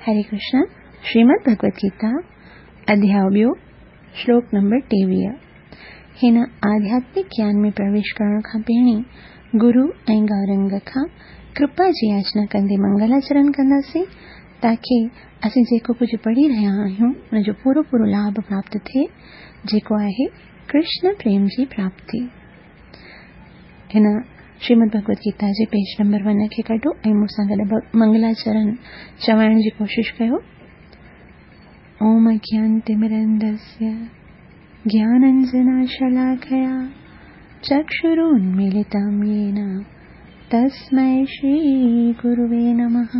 हरे कृष्ण, श्रीमद भगवत गीता, अध्याय ॿियो, श्लोक नंबर 23। हिन आध्यात्मिक ज्ञान में प्रवेश करण खां पहिरीं गुरु ऐं गौरंग खां कृपा जी याचना कंदे मंगलाचरण कंदासीं, ताकी असीं जेको कुझु पढ़ी रहिया आहियूं उनजो पूरो पूरो लाभ प्राप्त थिए, जेको आहे कृष्ण प्रेम जी प्राप्ति। हिन श्रीमद भगवत गीता जे पेज नंबर 1 खे कढो ऐं मूंसां गॾु मंगलाचरण चवाइण जी कोशिश कयो। ओम अज्ञानतिमिरन्धस्य ज्ञानाञ्जनशलाकया चक्षुरुन्मीलितं येन तस्मै श्रीगुरुवे नमः।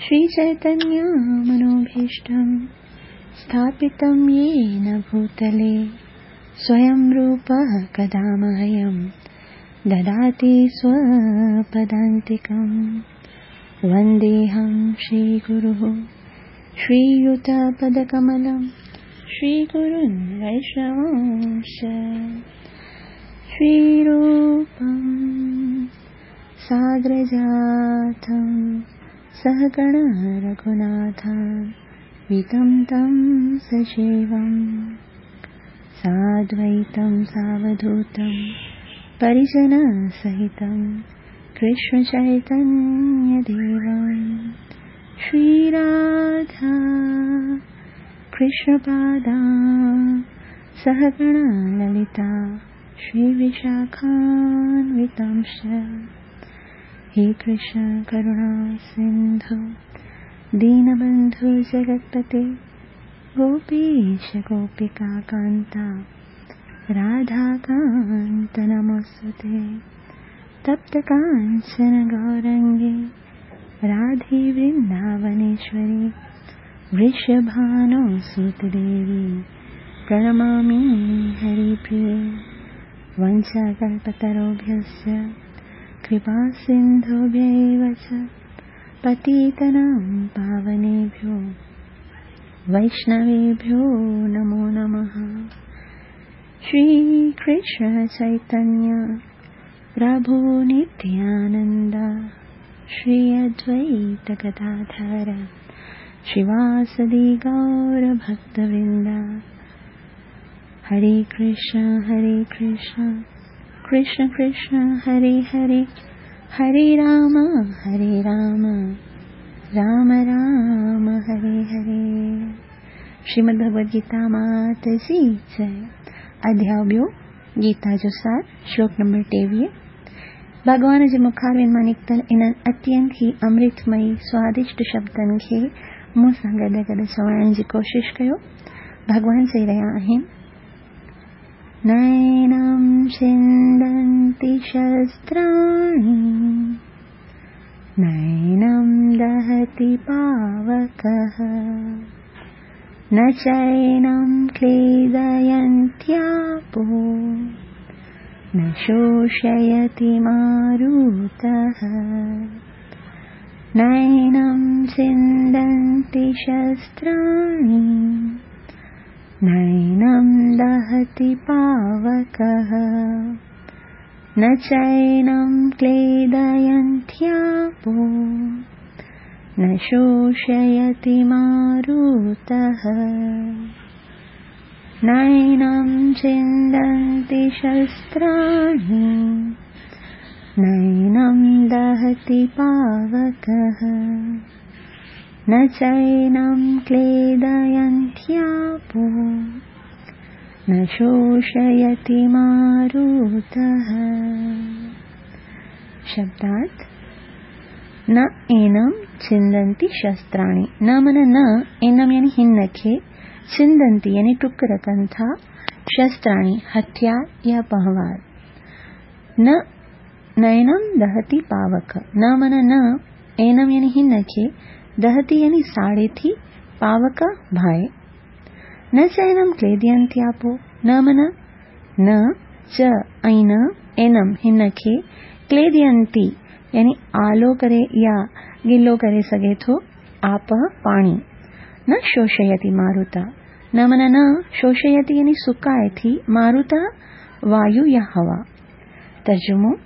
श्रीचैतन्यमनोभीष्टं स्थापितं येन भूतले स्वयं रूपः कदा मह्यं ददाति स्वपदान्तिकं। वन्देऽहं श्रीगुरुः श्रीयुतपदकमलं श्रीगुरुन् वैष्णवांश्च। श्रीरूपं साग्रजातं सहगण रघुनाथान्वितं तं सजीवं साद्वैतं सावधूतं परिजनसहितं कृष्णचैतन्यदेवं। श्रीराधा कृष्णपादा सहगण ललिता श्रीविशाखान्वितांश्च। हे कृष्ण करुणा सिन्धु दीनबन्धु जगत्पते गोपीश गोपिका कान्ता राधाकान्त नमोऽस्तुते। तप्त काञ्चन गौरङ्गे राधे वृन्दावनेश्वरी वृषभानुसुतदेवी प्रणमामि हरिप्रिये। वञ्चाकल्पतरुभ्यश्च कृपासिन्धुभ्यैव च पतितानां पावनेभ्यो वैष्णवेभ्यो नमो नमः। श्रीकृष्ण चैतन्य प्रभु नित्यानन्द श्री अद्वैत गदाधर श्रीवासदि गौरभक्तवृन्द। हरे कृष्ण हरे कृष्ण कृष्ण कृष्ण हरे हरे, हरे राम हरे राम राम राम हरे हरे। श्रीमद् भगवद गीता मात जी जय। अध्याय ॿियो, गीता जो सार, श्लोक नंबर 23। भॻवान जे मुखारनि मां निकितल इन्हनि अत्यंत ई अमृतमयी स्वादिष्ट शब्दनि खे मूं सां गॾु गॾु चवाइण जी कोशिश कयो। भॻवान चई रहिया आहिनि, नैनं छिन्दन्ति शस्त्राणि नैनं दहति पावकः न चैनं क्लेदयन्त्यापो न शोषयति मारुतः। नैनं छिन्दन्ति शस्त्राणि नैनं दहति पावकः न चैनं क्लेदयन्त्यापो न शोषयति मारुतः। नैनं छिन्दन्ति शस्त्राणि नैनं दहति पावकः न चैनं क्लेदयन्त्यापो न शोषयति मारुतः। शब्दार्थ, न एनं छिन्दन्ति शस्त्राणि, न मन न एनम यानी हिन खे, छिन्दन्ति यानी टुक रखनि था, शस्त्राणि हथियार या पहवार। न नैनं दहति पावक, न मन न एनम यानी हिन खे, दहति यानी साड़े थी, पावक भाए। न चैनम क्लेदयन्त्यापो, न मन न च ऐं न एनम हिन खे, क्लेदयन्ति यानी आलो करे या गिलो करे सघे थो, आपः पाणी। न शोषयति मारुता, न मन न शोषयति यानी सुकाए थी, मारुता वायु या हवा। तर्जुमो,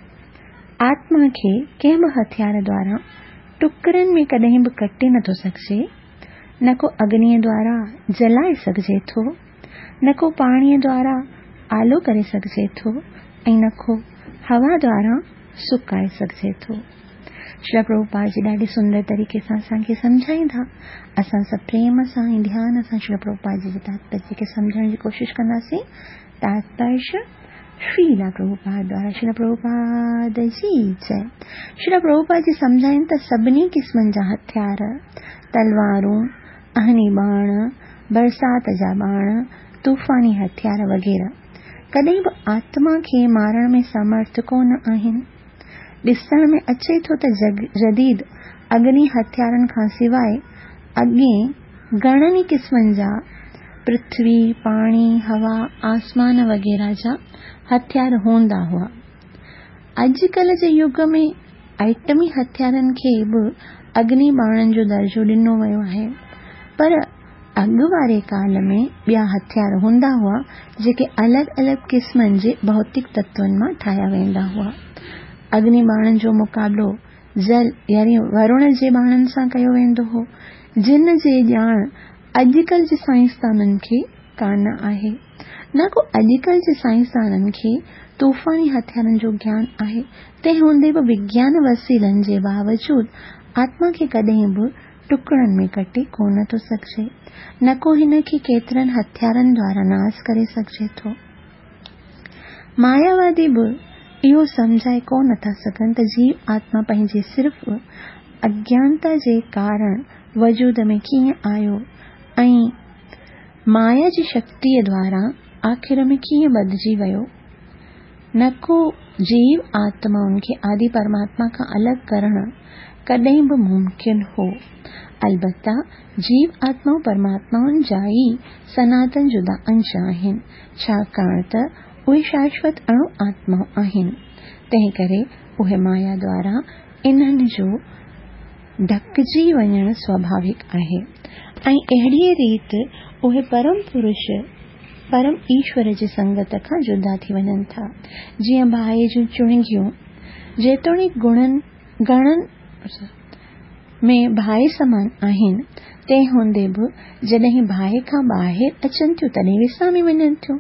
आत्मा खे कंहिं बि हथियार द्वारा ٽڪرن ۾ ڪڏهن به ڪٽي نٿو سگهجي، نه ڪو اگنيء دوارا جلائي سگهجي ٿو، نه ڪو پاڻيء دوارا آلو ڪري سگهجي ٿو ۽ نه ڪو هوا دوارا سڪائي سگهجي ٿو. شريلا پرڀوپاد جي ڏاڍي سندر طريقي سان اسان کي سمجهائيندا. اسان سڀ پريم سان ۽ ڌيان سان شريلا پرڀوپاد جي جي تاتپريه کي سمجهڻ جي ڪوشش ڪنداسين. تاتپريه شريلا پرڀوپاد دوارا شريلا پرڀوپاد جي جئي. شريلا پرڀوپاد جي سمجهائين ته سڀني قسمن جا هٿيار، تلوارون، اهني ٻاڻ، برسات جا ٻاڻ، طوفاني هٿيار وغيره ڪڏهن به آتما کي مارڻ ۾ سمرٿ ڪونه آهن. ڏسڻ ۾ اچي ٿو ته جديد اگني هٿيارن کان سواء اڳئين گهڻن ئي قسمن جا پرٿوي، پاڻي، هوا، آسمان وغيره جا هٿيار هوندا هئا. اڄڪلهه جي يگ ۾ ائٽمي هٿيارن کي به اگني ٻاڻن جو درجو ڏنو ويو آهي. پر اڳ واري ڪال ۾ ٻيا هٿيار هوندا هئا، جيڪي الڳ الڳ قسمن جي ڀوتڪ تتون مان ٺاهيا ويندا هئا. اگني ٻاڻن جو مقابلو جل يعني ورڻ جي ٻاڻن سان ڪيو ويندو هو، جن جي ڄاڻ اڄڪلهه جي سائنسدانن کي ڪانه آهي. نه ڪو اڄڪلهه جي سائنسدانن کي طوفاني هٿيارن جو گيان آهي، تنهن هوندي به وگيان وسيلن جي باوجود آتما کي ڪڏهن به ٽڪڙن ۾ ڪٽي ڪونه ٿو سگهجي، نه ڪو هن کي ڪيترن هٿيارن دوارا ناس ڪري سگهجي ٿو. ماياوادي به اهو سمجهائي ڪو نه ٿا سگهن ته جيو آتما پنهنجي صرف اگيانتا جي ڪارڻ وجود ۾ ڪيئن آيو ۽ مايا جي شڪتيء دوارا آخر ۾ ڪيئن ٻڌجي ويو. نه ڪو جيو آتمائن کي آدي پرماتما کان الڳ ڪرڻ ڪڏهن به ممڪن هو. البته جيو آتمائون پرماتمائن جا ئي سناتن جدا انش آهن، ڇاڪاڻ ته اهي شاشوت اڻو آتمائون آهن، تنهنڪري اهي مايا دوارا انهن جو ڍڪجي وڃڻ سواڀاوڪ آهي ۽ اهڙيء ريت اهي پرم پرش، پرم ايشور جي سنگت کان جدا ٿي وڃن ٿا، جيئن باهه جون چڻنگيون جيتوڻيڪ گڻن، گڻن، ۾ باهه سمان آهن، تنهن هوندي به جڏهن باهه کان ٻاهر اچن ٿيون تڏهن وسامي وڃن ٿيون.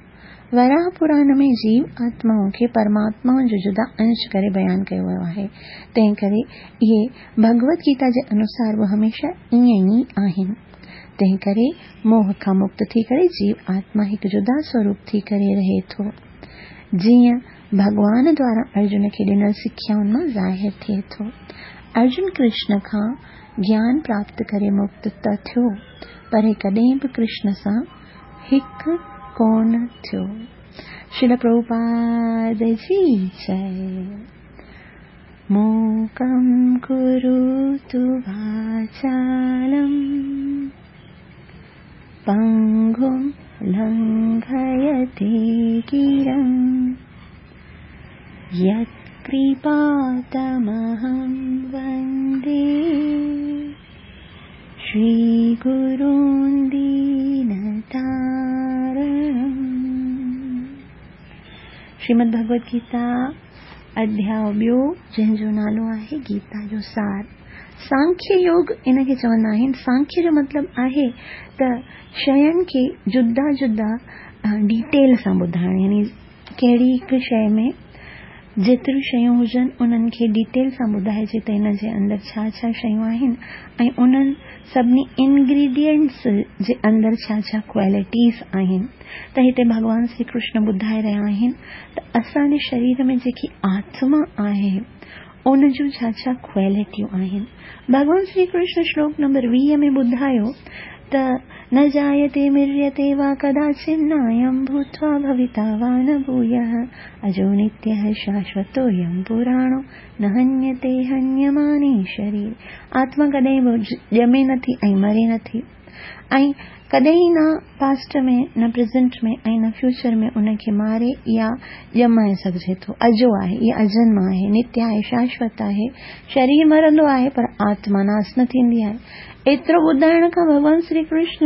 وراهه پراڻ ۾ جيو آتمائن کي پرماتمائن جو جدا انش ڪري بيان ڪيو ويو آهي، تنهن ڪري اهي ڀڳوت گيتا جي انوسار به هميشه ائين ئي آهن. تنهن ڪري موهه کان مڪت ٿي ڪري جيو آتما هڪ جدا سوروپ ٿي ڪري رهي ٿو. جيئن ڀڳوان دوارا ارجن کي ڏنل سکيائن مان ظاهر ٿئي ٿو. ارجن ڪرشن کان گيان پراپت ڪري مڪت ته ٿيو، پر هي ڪڏهن به ڪرشن سان هڪ ڪونه ٿيو. شريل پرڀوپاد جي جئي. موڪم ڪروتو واچالم پنگم لنگهيتي گرم يتڪرپا تمهم وندي شري گرون دينتارڻم. شريمد ڀڳوت گيتا اڌياء ٻيو جنهن جو نالو آهي گيتا جو سار. سانکيه يوگ ان کي چوندا آهن. سانکيه جو مطلب آهي ته شين کي جدا جدا ڊيٽيل سان ٻڌائڻ يعني ڪهڙي هڪ شيء ۾ جيتريون شيون هجن انهن کي ڊيٽيل سان ٻڌائجي ته ان جي اندر ڇا ڇا شيون آهن ۽ انهن سڀني انگريڊينٽس جي اندر ڇا ڇا ڪوالٽيز آهن ته هتي ڀڳوان شري ڪرشن ٻڌائي رهيا آهن ته اسان جي شرير ۾ جيڪي آتما آهي ان جون ڇا ڇا ڪوالٽيون آهن. ڀڳوان شري ڪرشن شلوڪ نمبر 20 ۾ ٻڌايو ته نه جايتي مريتي وا ڪداچن نايم ڀوتوا ڀويتا وا نه ڀويه اجو نتيه شاشوتو يم پراڻو نه هنيتي هنيماني شرير آتما ڪڏهن به ڄمي نٿي ۽ مري نٿي ۽ ڪڏهن نه پاسٽ ۾ نه پريزنٽ ۾ ۽ نه فيوچر ۾ ان کي ماري يا ڄمائي سگهجي ٿو. اجو آهي، اها اجنما آهي، نتيه آهي، شاشوت آهي. شرير مرندو آهي پر آتما ناس نه ٿيندي آهي. ايترو ٻڌائڻ کان ڀڳوان شري ڪرشن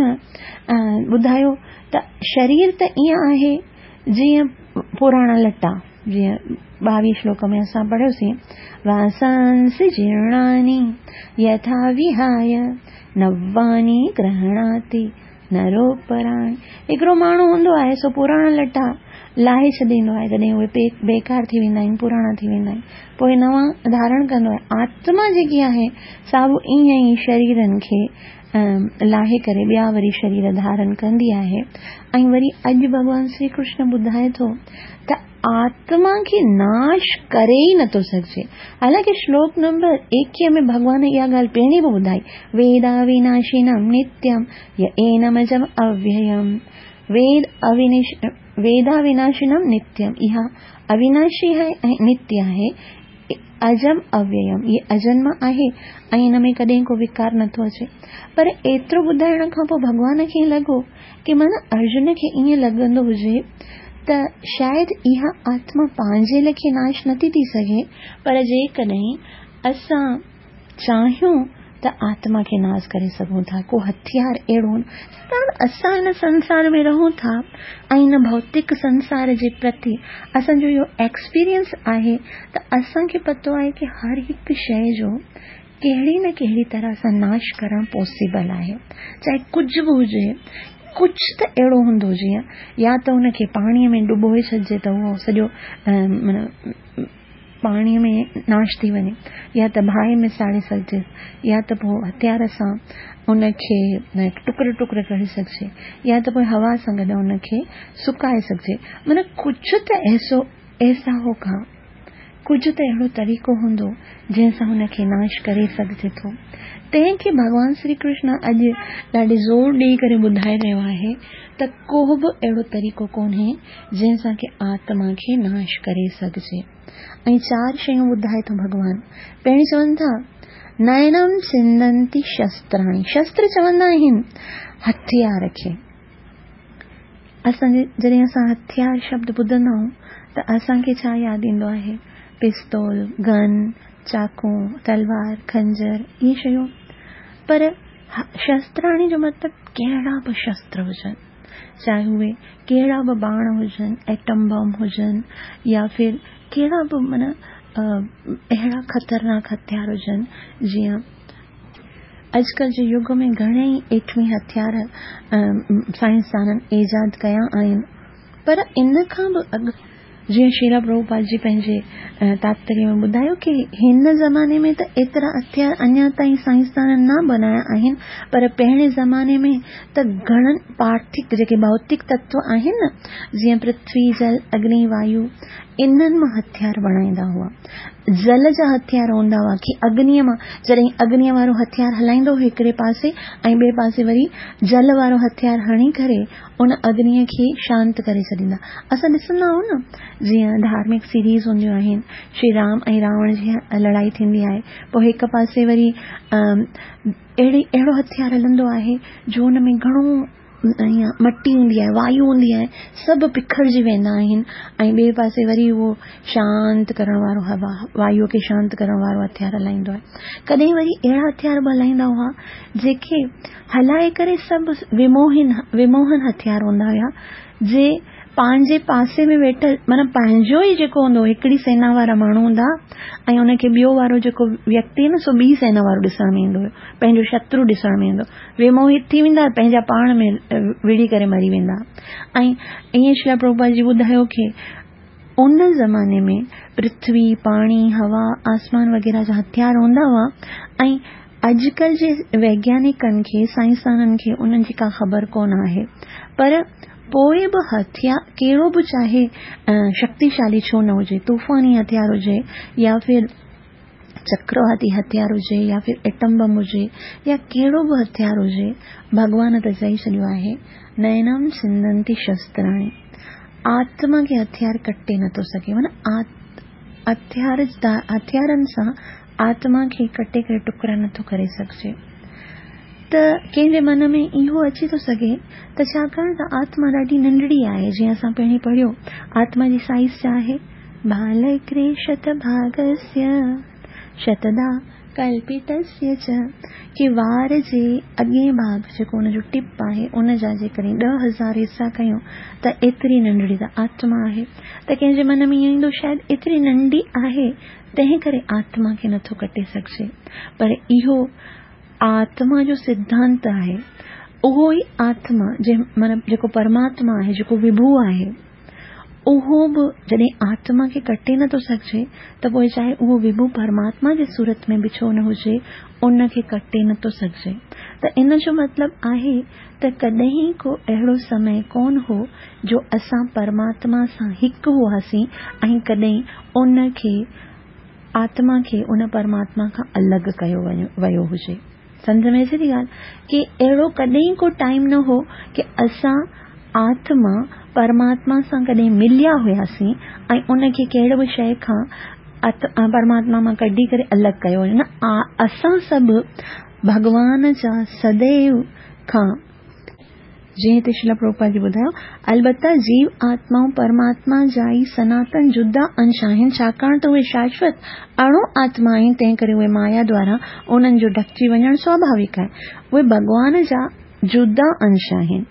ٻڌايو ته شرير ته ائين آهي جيئن پراڻا لٽا. جيئن 22 شلوڪ ۾ اسان پڙهيوسين، واسانسي جيرڻاني يٿا وهاي نواني گرهڻاتي نروپراڻي. هڪڙو ماڻهو هوندو آهي سو پراڻا لٽا لاهي ڇڏيندو آهي، جڏهن اهي بيڪار ٿي ويندا آهن، پراڻا ٿي ويندا آهن، پوء نوان ڌارڻ ڪندو آهي. آتما جيڪي آهي سا به ائين ئي شريرن کي لاهي ڪري ٻيا وري شرير ڌارڻ ڪندي آهي. ۽ وري اڄ ڀڳوان شري ڪرشن ٻڌائي ٿو ته آتما کي ناش ڪري ئي نٿو سگهجي. حالانڪه شلوڪ نمبر 21 ۾ ڀڳوان اها ڳالهه پهرين به ٻڌائي، ويدا ويناشينم نتيم ي اينمجم اوييم. ويد اوينش ويدا ويناشينم نتيم، اها اويناشي آهي ۽ نتي آهي. اجم اوييم، اهي اجنم آهي ۽ ان ۾ ڪڏهن ڪو وڪار نٿو اچي. پر ايترو ٻڌائڻ کان پوء ڀڳوان کي لڳو ڪي معنيٰ ارجن کي ائين لڳندو هجي ته شايد اها آتما پنهنجي لکي ناش نٿي ٿي سگهي، پر جيڪڏهن اسان چاهيون ته آتما کي ناس ڪري سگهون ٿا، ڪو هٿيار اهڙو نه. ڇاڪاڻ ته اسان هن سنسار ۾ رهون ٿا ۽ هن ڀوتڪ سنسار جي پرتي اسان جو اهو ايڪسپيرينس آهي ته اسان کي پتو آهي ڪي هر هڪ شيء جو ڪهڙي نه ڪهڙي طرح سان ناش ڪرڻ پاسيبل آهي، چاهي ڪجهه به هجي، ڪجهه ته اهڙو هوندو جيئن يا ته ان کي پاڻيء ۾ ڊبوئي ڇڏجي ته اهو سڄو معنيٰ پاڻيء ۾ ناش ٿي وڃي، يا ته باهه ۾ ساڙي سگهجي، يا ته پوء هٿيار سان ان کي ٽڪر ٽڪر ڪري سگهجي، يا ته پوء هوا سان گڏ ان کي سڪائي سگهجي، معنيٰ ڪجهه ته ايسو ايسا هوگا. ڪجهه ته اهڙو طريقو هوندو جنهن سان هن کي ناش ڪري سگهجي ٿو. تنهن کي ڀڳوان شري ڪرشن اڄ ڏاڍي زور ڏيئي ڪري ٻڌائي رهيو آهي ته ڪو به اهڙو طريقو ڪونهي جنهن سان ڪي آتما کي ناش ڪري سگهجي. ۽ چار شيون ٻڌائي ٿو ڀڳوان. پهرين چون ٿا، نينم ڇندنتي شستراڻي. شستر چوندا آهن هٿيار کي. اسان جي جڏهن اسان هٿيار شبد ٻڌندا آهيون ته اسان کي ڇا ياد ايندو آهي؟ پستول، گن، چاقو، تلوار، خنجر اهي شيون. پر شستراڻي جو مطلب ڪهڙا به شستر هجن، چاهي اهي ڪهڙا به باڻ هجن، ايٽم بم هجن يا ڦر ڪهڙا به معنيٰ اهڙا خطرناڪ هٿيار هجن جيئن اڄڪلهه جي يگ ۾ گهڻي ئي ايٽمي هٿيار سائنسدانن ايجاد ڪيا آهن پر ان کان به اڳ جيئن شريلا پرڀوپاد جي پنهنجي تاتپريه ۾ ٻڌايو ڪي هن زماني ۾ ته ايترا هٿيار اڃا تائين سائنسدانن نه بنايا آهن پر پهرين زماني ۾ ته گهڻن پارٿڪ جيڪي ڀوتڪ تتو آهن نه جيئن پرٿوي جل اگني وايو انهن مان هٿيار بڻائيندا هئا. جل جا هٿيار هوندا هئا ڪي اگنيء مان جڏهن اگنيء وارو هٿيار هلائيندو هو هڪڙي پاسي ۽ ٻئي پاسي وري جل وارو هٿيار هڻي ڪري ان اگنيء کي شانت ڪري ڇڏيندا. اسان ڏسندا آهيون نه جيئن ڌارمڪ سيريز هونديون آهن شري رام ۽ راوڻ جي لڙائي ٿيندي آهي پوء هڪ پاسي وري اهڙي اهڙو هٿيار هلندو آهي جو ان ۾ گهڻو ائين مٽي هوندي آهي، وايو هوندي آهي، سڀ پکڙجي ويندا آهن ۽ ٻئي پاسي وري اهو شانت ڪرڻ وارو هوا، وايوء کي شانت ڪرڻ وارو هٿيار هلائيندو آهي. ڪڏهن وري اهڙا هٿيار به هلائيندا هئا، جيڪي هلائي ڪري سڀ وموهن، وموهن هٿيار هوندا هيا، جي پنهنجي پاسي ۾ ويٺل معنيٰ پنهنجو ئي جيڪو هوندو هو، هڪڙي سينا وارا ماڻهو هوندا ۽ ان کي ٻيو وارو جيڪو ويڪتي نه سو ٻي سينا وارو ڏسڻ ۾ ايندو هيو، پنهنجو شترو ڏسڻ ۾ ايندو. وموهت ٿي ويندا، پنهنجا پاڻ ۾ وڙهي ڪري مري ويندا. ۽ ائين شريلا پرڀوپاد جي ٻڌايو ڪي ان زماني ۾ پرٿوي، پاڻي، هوا، آسمان وغيره جا هٿيار هوندا هئا ۽ اڄڪلهه جي ويگيانڪن کي، سائنسدانن کي انهن جي ڪا خبر ڪونه آهي. پر پوء به هٿيار ڪهڙو به چاهي شڪتيشالي ڇو نه هجي، طوفاني هٿيار هجي يا ڦر چڪرواتي هٿيار هجي يا ڦر ايٽم بم هجي يا ڪهڙو به هٿيار هجي، ڀڳوان ته چئي ڇڏيو آهي، نينم ڇندنتي شستراڻي. آتما کي هٿيار ڪٽي نٿو سگهي. معنيٰ هٿيار هٿيارن سان آتما کي ڪٽي ڪري ٽڪرا نٿو ڪري سگهجي. ته ڪنهن جي من ۾ اهو اچي ٿو سگهي ته ڇاڪاڻ ته آتما ڏاڍي ننڍڙي آهي، جيئن اسان پهرين پڙهيو، آتما جي سائيز ڇا آهي؟ ڀالڪري شت ڀاگسيه شتدا ڪلپتسيه چ، ڪي وار جي اڳئين ڀاڳ جيڪو ان جو ٽپ آهي ان جا جيڪڏهن 10,000 حصا ڪيون ته ايتري ننڍڙي ته آتما آهي. ته ڪنهن جي من ۾ ائين ايندو شايد ايتري ننڍي آهي تنهن ڪري آتما کي نٿو ڪٽي سگهجي. پر اهو آتما جو سڌانت آهي. اهو ئي آتما جنهن معنيٰ جيڪو پرماتما آهي جيڪو وڀو آهي اهو به جڏهن آتما کي ڪٽي نٿو سگهجي ته پوء چاهي اهو وڀو پرماتما جي صورت ۾ به ڇو نه هجي ان کي ڪٽي نٿو سگهجي ته ان جو مطلب آهي ته ڪڏهن ڪو اهڙو سمي ڪونه هو جو اسان پرماتما سان هڪ هئاسين ۽ ڪڏهن ان کي آتما کي ان پرماتما کان الڳ ڪيو ويو هجي. سمجهه ۾ اچي ٿي ڳالهه ڪي اهڙو ڪڏهن ڪو ٽائيم نه هو ڪي اسان آتما پرماتما سان ڪڏهن مليا هياسين ۽ ان کي ڪهڙي به شيء کان پرماتما مان ڪڍي ڪري الڳ ڪيو وڃي نه اسان سڀ ڀڳوان جا سديو کان جيئن هتي شريلا پرڀوپاد جي ٻڌايو، البته جيو آتمائون پرماتما جا ئي سناتن جدا انش آهن، ڇاڪاڻ ته اهي شاشوت اڻو آتما آهن، تنهنڪري اهي مايا دوارا انهن جو ڍڪجي وڃڻ سواڀاويڪ آهي. اهي ڀڳوان جا جدا انش آهن.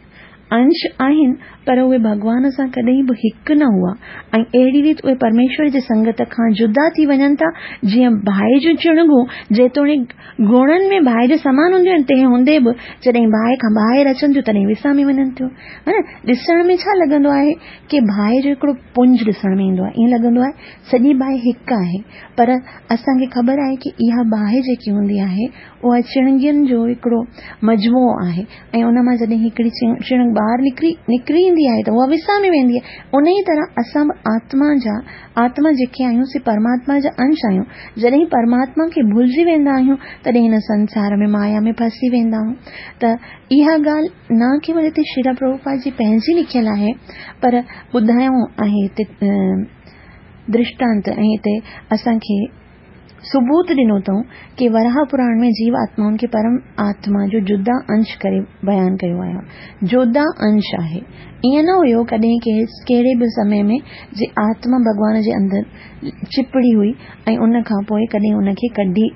انش آهن، پر اهي ڀڳوان سان ڪڏهن به هڪ نه هئا ۽ اهڙي ريت اهي پرميشور جي سنگت کان جدا ٿي وڃن ٿا، جيئن باهه جون چڻگون جيتوڻيڪ گڻن ۾ باهه جي سمان هونديون آهن، تنهن هوندي به جڏهن باهه کان ٻاهر اچن ٿيون تڏهن وسامي وڃن ٿيون. ها نه؟ ڏسڻ ۾ ڇا لڳندو آهي ڪي باهه جو هڪڙو پنج ڏسڻ ۾ ايندو آهي، ائين لڳندو آهي سڄي باهه هڪ آهي، پر اسان کي خبر آهي ڪي اها باهه جيڪي هوندي آهي اها چڻگين جو هڪڙو مجموعو آهي ۽ ان مان جڏهن هڪڙي چڻگ ٻاهر نڪري نڪري ايندي آهي ته اها وسامي ويندي آهي. انهيء طرح اسان به آتما جا آتما جيڪي آهيون سي پرماتما جا انش آهيون. جڏهن پرماتما کي ڀلجي ويندا آهيون تڏهن هن سنسار ۾ مايا ۾ ڦاسي ويندا آهيون. ته اها ڳالهه نه ڪيول هتي شريلا پرڀوپاد جي پنهنجي لکيل آهي پر ٻڌايو آهي هتي درشٽانت ۽ هتي اسان کي ثبوت ڏنو اٿئون ڪي وراهه پراڻ ۾ جيو آتمائن کي پرم آتما جو جدا انش ڪري بيان ڪيو آهي. جدا انش آهي. ائين نه هيو ڪڏهن ڪهڙي به سمي ۾ جي آتما ڀڳوان جي اندر چپڙي هئي ۽ ان کان پوء ڪڏهن ان کي ڪڍي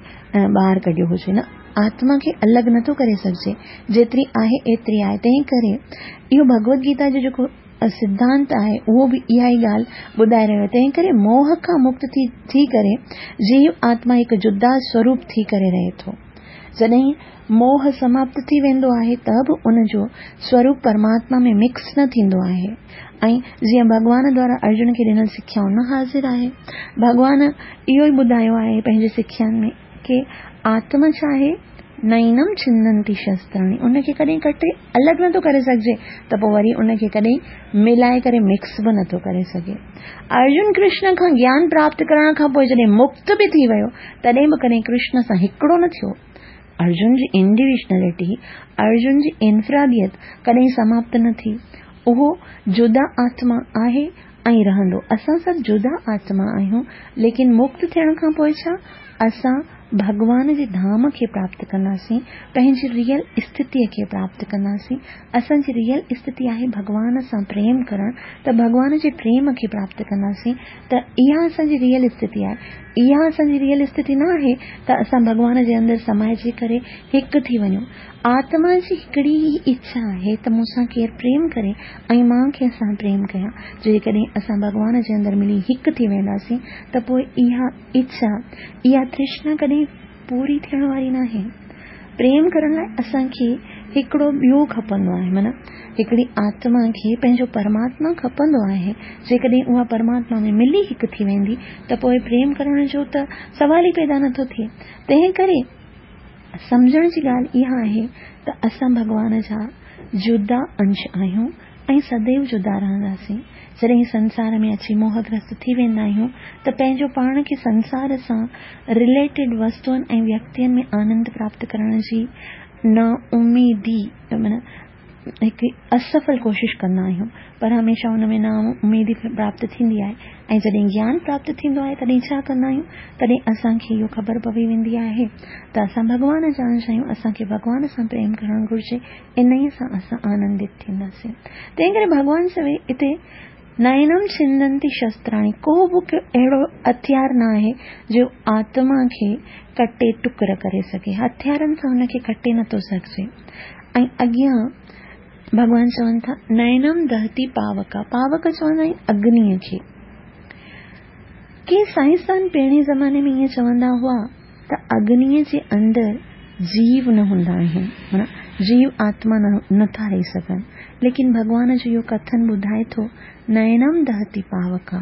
ٻاهر ڪڍيو هجي نه آتما کي الڳ نٿو ڪري سگهجي جيتري آهي ايتري آهي تنهن ڪري اهو ڀڳوت گيتا جو جيڪو سڌانت آهي اهو به اها ئي ڳالهه ٻڌائي رهيو آهي تنهن ڪري موهه کان مڪت ٿي ٿي ڪري جيو آتما هڪ جدا سوروپ ٿي ڪري رهي ٿو. جڏهن موهه سماپت ٿي ويندو آهي ته به ان جو سوروپ پرماتما ۾ مڪس نه ٿيندو آهي ۽ جيئن ڀڳوان دوارا ارجن کي ڏنل سکيائون نه حاضر آهي. ڀڳوان اهو ئي ٻڌايو آهي پنهنجي سکيائن ۾ ڪي آتما ڇا آهي؟ نئينم ڇندنتي شستراڻي ان کي ڪڏهن ڪٽي الڳ نٿو ڪري سگهجي ته پوء وري ان کي ڪڏهن ملائي ڪري مڪس به نٿو ڪري سگهي. ارجن ڪرشن کان گيان پراپت ڪرڻ کان پوء جڏهن مڪت به ٿي ويو تڏهن به ڪڏهن ڪرشن سان هڪڙو نه ٿيو. ارجن جي انڊيويجنلٽي، ارجن جي انفراديت ڪڏهن سماپت نه ٿي. اهو جدا آتما آهي ۽ رهندو. اسان سڀ جدا آتما آهيون، ليڪن مڪت ٿيڻ کان پوء ڇا؟ اسان ڀڳوان جي ڌام کي پراپت ڪنداسين، پنهنجي ريئل اسٿتيء کي پراپت ڪنداسين. اسان جي ريئل اسٿتي آهي ڀڳوان سان پريم ڪرڻ، ته ڀڳوان جي پريم کي پراپت ڪنداسين، ته اها اسان جي ريئل اسٿتي آهي. اها اسان جي ريئل اسٿتي نه آهي ته اسان ڀڳوان جي اندر سمائجي ڪري هڪ ٿي وڃون. آتما جي هڪڙي ئي اڇا آهي ته مون سان ڪير پريم ڪري ۽ مان ڪنهن سان پريم ڪيان. جيڪڏهن اسان ڀڳوان جي اندر ملي هڪ ٿي وينداسين ته پوء اها اڇا، اها ترشنا ڪڏهن پوري ٿيڻ واري ناهي. پريم ڪرڻ لاء اسان کي هڪڙو ٻيو کپندو آهي معنيٰ هڪڙي آتما کي پنهنجو پرماتما کپندو آهي. جيڪڏهن اها پرماتما ۾ ملي هڪ ٿي ويندي ته پوء پريم ڪرڻ جو ته سوال ئي پيدا نٿو ٿئي. تنهن ڪري سمجهڻ جي ڳالهه اها آهي ته اسان ڀڳوان جا جدا انش آهيون ۽ سديو جدا رهنداسين. جڏهن سنسار ۾ اچي موهگرست ٿي ويندا آهيون ته پنهنجو پاڻ کي سنسار سان رليٽيڊ وستوئن ۽ ويڪتين ۾ آنند پراپت ڪرڻ جي نااميدي معنيٰ هڪ اسڦل ڪوشش ڪندا آهيون پر هميشه ان ۾ نااميدي پراپت ٿيندي آهي ۽ جڏهن گيان پراپت ٿيندو آهي تڏهن ڇا ڪندا آهيون تڏهن اسان کي اهو خبر پوي ويندي آهي ته اسان ڀڳوان جا انش آهيون اسان کي ڀڳوان سان پريم ڪرڻ گهرجي انهيء سان اسان آنندت ٿينداسين تنهن ڪري ڀڳوان چوي اتي. نينم ڇندنتي شستراڻي، ڪو به اهڙو هٿيار نه آهي جو آتما کي ڪٽي ٽڪر ڪري سگهي. هٿيارن سان هن کي ڪٽي نٿو سگهجي. ۽ اڳيان ڀڳوان چون ٿا، نينم دهتي پاوڪا، پاوڪ چوندا آهن اگنيء کي. ڪي سائنسدان پهرين زماني ۾ ائين چوندا هئا ته اگنيء جي اندر جيو نه هوندا آهن، معنيٰ جيو آتما نه ٿا رهي سگهن. ليڪن ڀڳوان جو اهو ڪٿن ٻڌائي ٿو، نينم دهتي پاوڪا،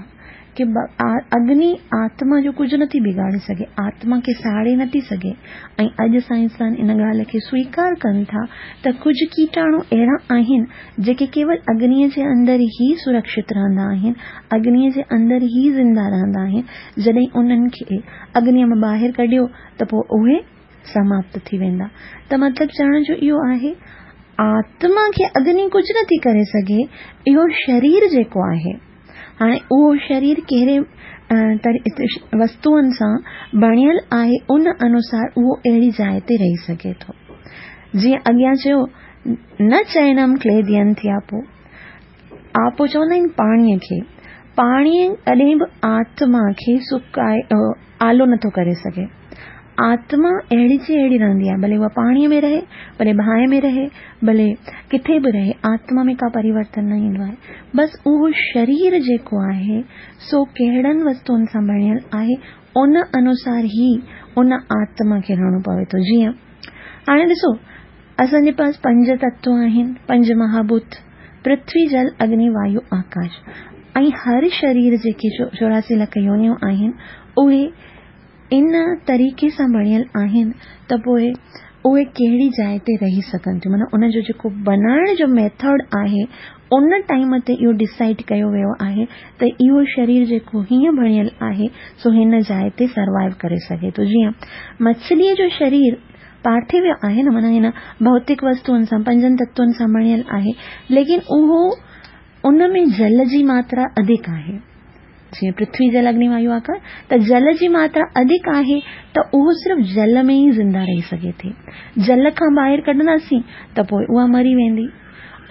ڪي اگني آتما جو ڪجهه نٿي بگاڙي سگهي، آتما کي ساڙي نٿي سگهي ۽ اڄ سائنسدان ان ڳالهه کي سويڪار ڪن ٿا ته ڪجهه ڪيٽاڻو اهڙا آهن جيڪي ڪيول اگنيء جي اندر ئي سرڪشت رهندا آهن، اگنيء جي اندر ئي زنده رهندا آهن، جڏهن انهن کي اگنيء مان ٻاهر ڪڍيو ته پوء اهي سماپت ٿي ويندا. ته مطلب چوڻ جو اهو آهي آتما کي اگني ڪجهه نٿي ڪري سگهي، اهو شرير جيڪو آهي، هاڻي اهو شرير ڪهڙي وستوئن سان بڻيل آهي ان انوسار اهو اهڙي جاء تي رهي سگهي ٿو. جيئن اڳيان چيو نه چئنم ڪليدين ٿي آپو. آپو چوندا آهن پاڻيء کي. پاڻي ڪڏهن به آتما کي سڪائي آلو نٿو ڪري سگهي. آتما اهڙي جي اهڙي رهندي آهي، ڀلي اها پاڻيء ۾ رهي، ڀلي باهه ۾ رهي، ڀلي ڪٿي به رهي، آتما ۾ ڪا پريورتن نه ايندو آهي. بس اهو شرير جيڪو آهي، سو ڪهڙن وستوئن سان بڻيل آهي، ان انوسار ئي ان آتما کي رهڻو پوي ٿو. جيئن هاڻي ڏسو، اسان جي پاس پنج تتو آهن، پنج مهاڀوت، پرٿوي، جل، اگني، وايو، آڪاش ۽ هر شرير جيڪي 84 لک يونيون آهن، اهي ان طريقي سان بڻيل آهن ته پوء اهي ڪهڙي جاء تي رهي سگهن ٿيون معنيٰ ان جو جيڪو بنائڻ جو ميٿڊ آهي ان ٽائيم تي اهو ڊسائيڊ ڪيو ويو آهي ته اهو شرير جيڪو هيئن بڻيل آهي سو هن جاء تي سروائيو ڪري سگهي ٿو جيئن مڇليء جو شرير پارٿيو آهي نه معنيٰ هن ڀوتڪ وستوئن سان پنجن تتون سان بڻيل آهي ليڪن اهو ان ۾ جل جي ماترا اڌڪ آهي جيئن پرٿوي جل اگني وايو آڪاش ته جل جي ماترا اڌڪ آهي ته اهو صرف جل ۾ ئي زنده رهي سگهي ٿي. جل کان ٻاهر ڪڍنداسين ته پوء اها مري ويندي.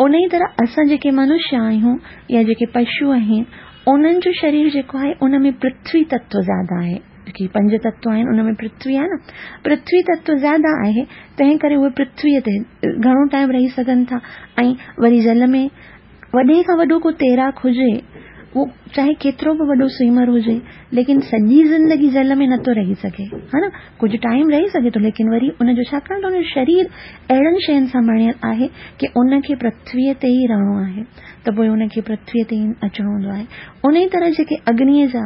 انهي طرح اسان جيڪي منشيه آهيون يا جيڪي پشو آهن انهن جو شرير جيڪو آهي ان ۾ پرٿوي تتو زياده آهي. جيڪي پنج تتو آهن ان ۾ پرٿوي آهي نه پرٿوي تتو زياده آهي تنهن ڪري اهي پرٿوي تي گهڻو ٽائيم رهي سگهن ٿا ۽ وري جل ۾ وڏي کان وڏو ڪو تيراڪ هجي، اهو چاهي ڪيترو به وڏو سوئمر هجي، ليڪن سڄي زندگي جل ۾ نٿو رهي سگهي، ها نه؟ ڪجهه ٽائيم رهي سگهي ٿو، ليڪن وري ان جو ڇاڪاڻ ته ان جو شرير اهڙن شين سان بڻيل آهي ڪي ان کي پرٿويء تي ئي رهڻو آهي ته پوء ان کي پرٿويء تي ئي اچڻو هوندو آهي. انهيء طرح جيڪي اگنيء جا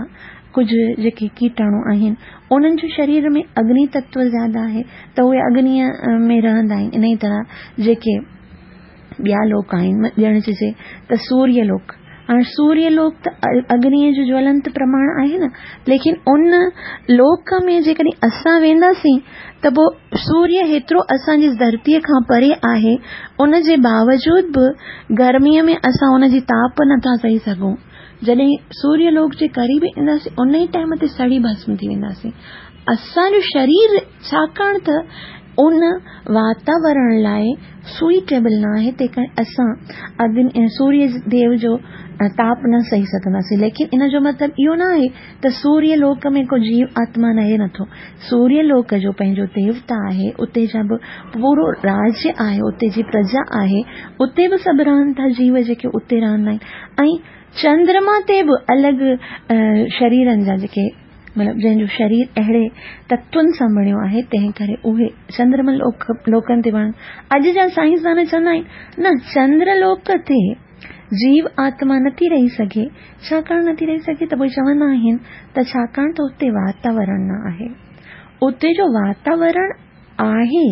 ڪجهه جيڪي ڪيٽاڻو آهن، انهن جو شرير ۾ اگني تتو زياده آهي ته اهي اگنيء ۾ رهندا آهن. انهيء طرح جيڪي ٻيا لوڪ آهن، ڄڻ چئجي ته سوريه لوڪ. هاڻ سوريه لوڪ ته اگنيء جو جولنت پرماڻ آهي نه، ليڪن ان لوڪ ۾ جيڪڏهن اسان وينداسين ته پوء سوريه هيترو اسان جي ڌرتيء کان پري آهي، ان جي باوجود به گرميء ۾ اسان ان جي تاپ نٿا سهي سگهون. جڏهن سوريه لوڪ جي قريب اينداسين، ان ئي ٽائيم تي سڙي ڀسم ٿي وينداسين. اسان جو شرير ڇاڪاڻ ته ان واتاورڻ لاء سوئيٽيبل نه آهي تنهن ڪري اسان اگني سوريه ديو جو تاپ نه سهي سگهنداسين ليڪن ان جو مطلب اهو نه آهي ته سوريه لوڪ ۾ ڪو جيو آتما رهي نٿو سوريه لوڪ جو پنهنجو ديوتا آهي اتي جا به پورو راجيه آهي اتي جي پرجا آهي اتي به سڀ رهن ٿا جيو جيڪي اتي رهندا آهن ۽ چندرما تي به الڳ شريرن جا جيڪي مطلب جنهن جو شرير اهڙي تتون سان بڻيو آهي تنهن ڪري اهي چندرما لوڪ لوڪن تي بڻ اڄ جا سائنسدان چوندا آهن نه چندر لوڪ تي جيو آتما نٿي رهي سگهي ڇاڪاڻ نٿي رهي سگهي ته پوء چوندا آهن ته ڇاڪاڻ ته اتي واتاورڻ نه آهي اتي جو واتاورڻ آهي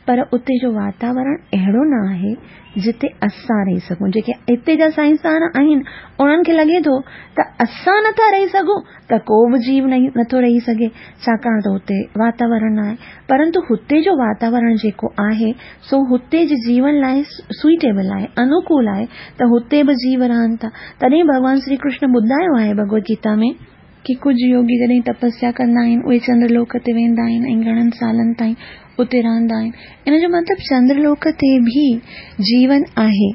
پر اتي جو واتاورڻ اهڙو نه آهي جتي اسان رهي سگهون. جيڪي هتي جا سائنسدان آهن انهن کي لڳي ٿو ته اسان نٿا رهي سگهون ته ڪو به جيو نٿو رهي سگهي ڇاڪاڻ ته هتي واتاورڻ نه آهي. پرنتو هتي جو واتاورڻ جيڪو آهي سو هتي جي جيون لاء سوئيٽيبل آهي، انوڪول آهي ته هتي به جيو رهن ٿا. تڏهن ڀڳوان شري ڪرشن ٻڌايو آهي ڀڳوت گيتا ۾. ڪي ڪجهه يوگي جڏهن تپسيا ڪندا آهن اهي چندر لوڪ تي ويندا آهن ۽ گهڻن سالن تائين اتي رهندا آهن. ان جو مطلب چندر لوڪ تي به جيون آهي،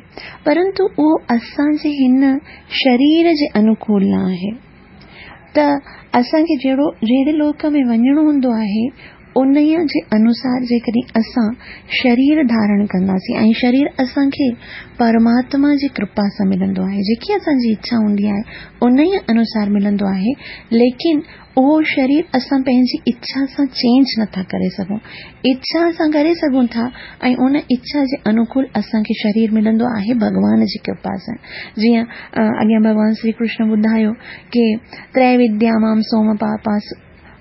پرنتو اهو اسان جي هن شرير جي انوڪول نه آهي. ته اسان کي جهڙو جهڙي لوڪ ۾ وڃڻو هوندو آهي، انهيء جي انوسار جيڪڏهن اسان شرير ڌارڻ ڪنداسين ۽ شرير اسان کي پرماتما جي ڪرپا سان ملندو آهي، جيڪي اسان جي اڇا هوندي آهي، انهيء انوسار ملندو آهي، ليڪن اهو شرير اسان پنهنجي اڇا سان چينج نٿا ڪري سگهون. اڇا اسان ڪري سگهون ٿا ۽ ان اڇا جي انوڪول اسان کي شرير ملندو آهي ڀڳوان جي ڪرپا سان. جيئن اڳيان ڀڳوان شري ڪرشن ٻڌايو ڪي تريوديا مام سوم پاپا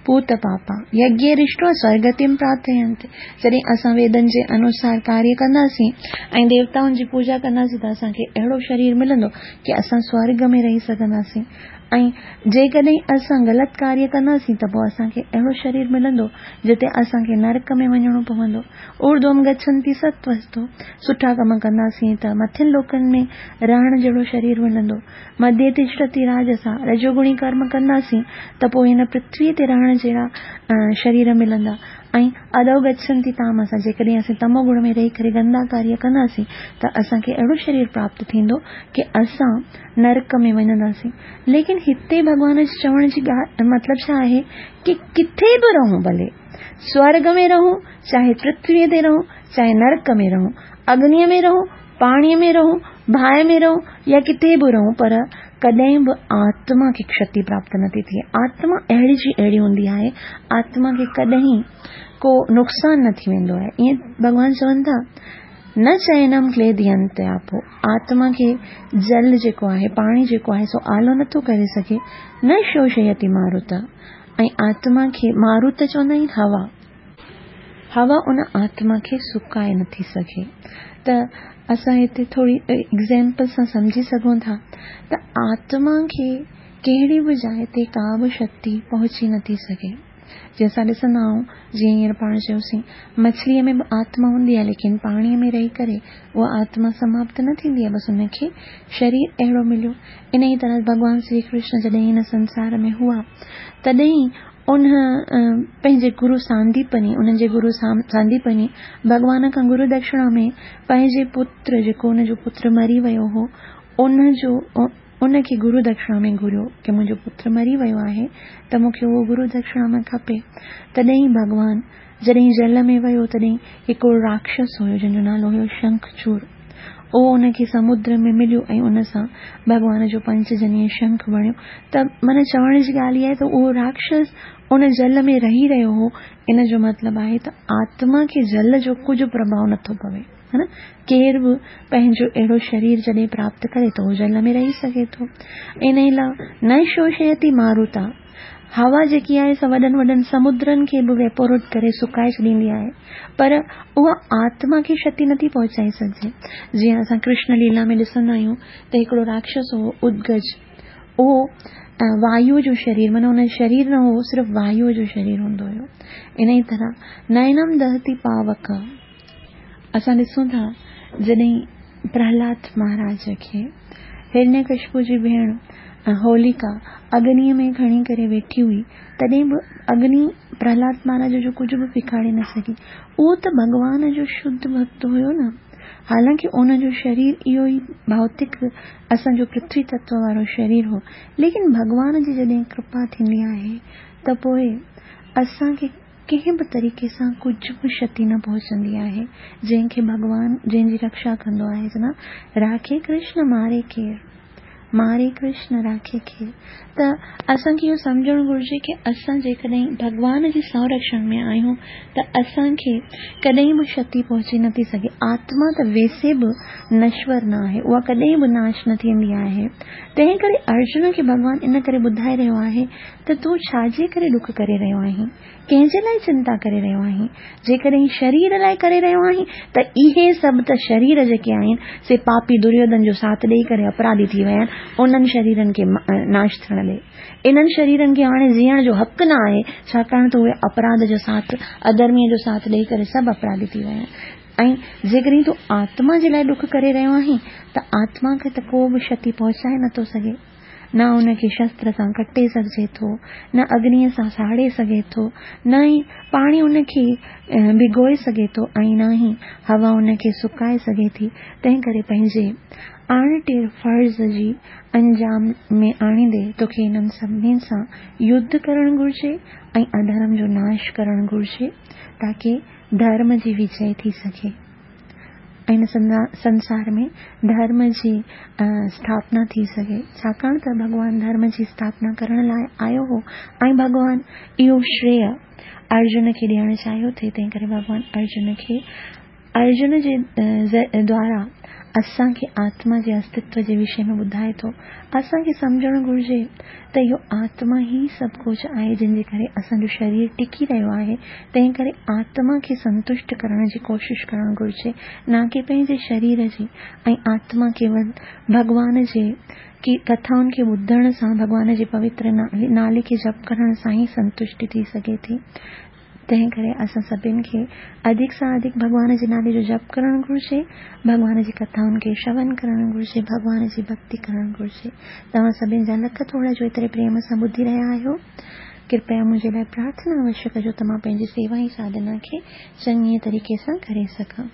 پوت پاپا يگيه رشٽوا سورگتيم پراپتينتي. جڏهن اسان ويدن جي انوسار ڪاريه ڪنداسين ۽ ديوتائن جي پوڄا ڪنداسين ته اسان کي اهڙو شرير ملندو ڪي اسان سورگ ۾ رهي سگهنداسين ۽ جيڪڏهن اسان غلط ڪاريه ڪنداسين ته پوء اسان کي اهڙو شرير ملندو جتي اسان کي نرڪ ۾ وڃڻو پوندو. اورڌوم گڇنتي ستوستو، سٺا ڪم ڪنداسين ته مٿين لوڪن ۾ رهڻ جهڙو شرير ملندو. مڌيه تشٽتي راجسا، رجوگڻي ڪرم ڪنداسين ته پوء هن پرٿويء تي رهڻ جهڙا شرير ملندا ۽ اڌو گڇنتي تامسا، جيڪڏهن اسين تمو گڻ ۾ رهي ڪري گندا ڪاريه ڪنداسين ته اسان کي اهڙو شرير پراپت ٿيندو ڪي اسان نرڪ ۾ وڃنداسين. ليڪن هتي ڀڳوان جي چوڻ جي ڳالهه مطلب ڇا آهي ڪي ڪٿي به رهون ڀلي سورڳ ۾ رهون چاهي پرٿويء تي رهون چاهي نرڪ ۾ رهون اگنيء ۾ رهون پاڻيء ۾ رهون، باهه ۾ رهون يا ڪٿي به رهون پر ڪڏهن به آتما کي ڪشتي پراپت نٿي ٿئي. آتما اهڙي جي اهڙي هوندي آهي، آتما کي ڪڏهن ڪو نقصان نه ٿي ويندو آهي. ائين ڀڳوان چون ٿا، نه چينم ڪليدينت آپو، آتما کي جل جيڪو آهي، پاڻي جيڪو آهي سو آلو نٿو ڪري سگهي، نه شوشيتي ماروت، ۽ آتما کي ماروت چوندا آهن هوا. هوا ان آتما کي سڪائي نٿي سگهي ته اسان هتي ٿوري ايگزيمپل سان سمجهي سگهون ٿا ته آتما کي ڪهڙي به جاء تي ڪا به شڪتي پهچي نٿي سگهي. جيئن اسان ڏسندا آهيون جيئن هينئر پاڻ چيوسين مڇليء ۾ به آتما هوندي آهي ليڪن پاڻيء ۾ رهي ڪري اها آتما سماپت نه ٿيندي آهي بس ان کي شرير اهڙو مليو. انهيء طرح ڀڳوان شري ڪرشن جڏهن هن سنسار ۾ هئا تڏهن ان پنهنجي گرو سانديپني، انهن جي گرو سانديپني ڀڳوان کان گرو دڪشڻا ۾ پنهنجي پتر جيڪو ان جو پتر مري ويو هو، ان جو ان کي گرو دڪشڻا ۾ گهريو ڪي منهنجو پتر مري ويو آهي ته مون کي اهو گرو دڪشڻا ۾ کپي. تڏهن ڀڳوان جڏهن جل ۾ ويو تڏهن هڪڙو راڪشس هيو جنهن جو نالو هيو شنکچور. اهو ان کي سمنڊ ۾ مليو ۽ ان سان ڀڳوان جو پنچجنيه شنک بڻيو ته معنيٰ چوڻ جي ڳالهه اها آهي ته اهو راڪشس ان جل ۾ رهي رهيو هو ان جو مطلب آهي ته آتما کي جل جو ڪجهه پرڀاء نٿو پوي ها نه ڪير به پنهنجو اهڙو شرير جڏهن پراپت ڪري ته اهو جل ۾ رهي سگهي ٿو انهي لاء نه شوشيتي ماروتا هوا جيڪي آهي سا وڏن وڏن سمندرن کي به ويپوريٽ ڪري سڪائي ڇڏيندي آهي پر اها آتما کي شتي نٿي پهچائي سگهجي. جيئن اسان ڪرشن ليلا ۾ ڏسندا آهيون ته هڪڙو راڪشس هو ادگج اهو وايوء جو شرير معنيٰ ان جو شرير نه هو صرف وايوء جو شرير هوندو هيو. انهيء طرح نينم دهتي پاوڪ اسان ڏسون ٿا جڏهن پرهلاد مهاراج کي هرڻيڪشپو جي ڀيڻ هوليڪا اگنيء ۾ کڻي ڪري ويٺي هئي، تڏهن به اگني پرهلاد مهاراج جو ڪجهه به بگاڙي نه سگهي. اهو ته ڀڳوان جو شڌ ڀڳت هيو نه. حالانڪه ان جو شرير اهو ئي ڀوتڪ اسان جو پرٿوي تتو وارو شرير هو، ليڪن ڀڳوان جي جڏهن ڪرپا ٿيندي آهي ته پوء اسان کي ڪنهن به طريقي سان ڪجهه به شتي نه پهچندي آهي، جنهن کي ڀڳوان جنهن جي رڪشا ڪندو آهي چوندا راکي ڪرشن ماري ڪير، ماري ڪرشن راکي ڪير ته اسان کي اهو سمجهڻ گهرجي ڪي اسان جيڪڏهن ڀڳوان جي سنرڪشڻ ۾ آهيون ته اسان کي ڪڏهن به شتي پهچي نٿي سگهي، آتما ته ويسي به نشور نه آهي، اها ڪڏهن به ناش نه ٿيندي آهي، تنهن ڪري ارجن کي ڀڳوان ان ڪري ٻڌائي رهيو آهي ته تون ڇا جي ڪري ڏک ڪري رهيو آهين؟ ڪنهن جي لاء چنتا ڪري رهيو آهين؟ جيڪڏهن شرير لاء ڪري رهيو آهين ته اهي سڀ ته شرير جيڪي آهن سي پاپي دريوڌن جو ساٿ ڏيئي ڪري اپراڌي ٿي ويا آهن، انهن شريرن کي ناش ٿيڻ ڏي. انهن شريرن کي هاڻي جيئڻ جو حق نه آهي، ڇاڪاڻ ته اهي اپراڌ جو ساٿ، اڌرميء جو ساٿ ڏيئي ڪري سڀ اپراڌي ٿي ويا آهن. ۽ جيڪڏهن تون آتما جي لاء ڏک ڪري رهيو آهين ته آتما کي ته ڪو به شتي پهچائي نٿو سگهي. نه ان کي شستر سان ڪٽي سگهجي ٿو، نه اگنيء سان ساڙي سگهي ٿو، نه ئي پاڻي ان کي ڀگوئي سگهي ٿو ۽ نه ئي هوا ان کي سڪائي سگهي ٿي. تنهن ڪري پنهنجي اڻٽر فرض جي انجام ۾ آڻيندي توکي انهن سڀني سان يڌ ڪرڻ گهرجي ۽ اڌرم جو ناش ڪرڻ گهرجي تاڪه ڌرم جي وجئي ٿي سگهي ۽ هن سنسار ۾ ڌرم جي اسٿاپنا ٿي سگهي. ڇاڪاڻ ته ڀڳوان ڌرم جي اسٿاپنا ڪرڻ لاء آيو هو ۽ ڀڳوان اهو شريه ارجن کي ڏيڻ چاهيو ٿي، تنهن ڪري ڀڳوان ارجن کي ارجن جي دوارا اسان کي آتما جي استتو جي وشي ۾ ٻڌائي ٿو. اسان کي سمجهڻ گهرجي ته اهو آتما ئي سڀ ڪجهه آهي جنهن جي ڪري اسان جو شرير ٽڪي رهيو آهي، تنهن ڪري آتما کي سنتشٽ ڪرڻ جي ڪوشش ڪرڻ گهرجي، نه ڪي پنهنجي شرير جي ۽ آتما ڪيول ڀڳوان جي ڪٿائن کي ٻڌڻ سان ڀڳوان جي پوتر نالي کي جپ ڪرڻ سان ئي سنتشٽي ٿي سگهي ٿي. تنهن ڪري اسان سڀن کي اڌڪ سان اڌڪ ڀڳوان جي نالي جو جپ ڪرڻ گهرجي، ڀڳوان جي ڪٿائن کي شرون ڪرڻ گهرجي، ڀڳوان جي ڀڳتي ڪرڻ گهرجي. توهان سڀن جا لک ٿورا جو ايتري پريم سان ٻڌي رهيا آهيو. ڪرپيا منهنجي لاء پرارٿنا اوشيه ڪجو ته مان پنهنجي سيوا ۽ ساڌنا کي چڱيء طريقي سان ڪري سگهان.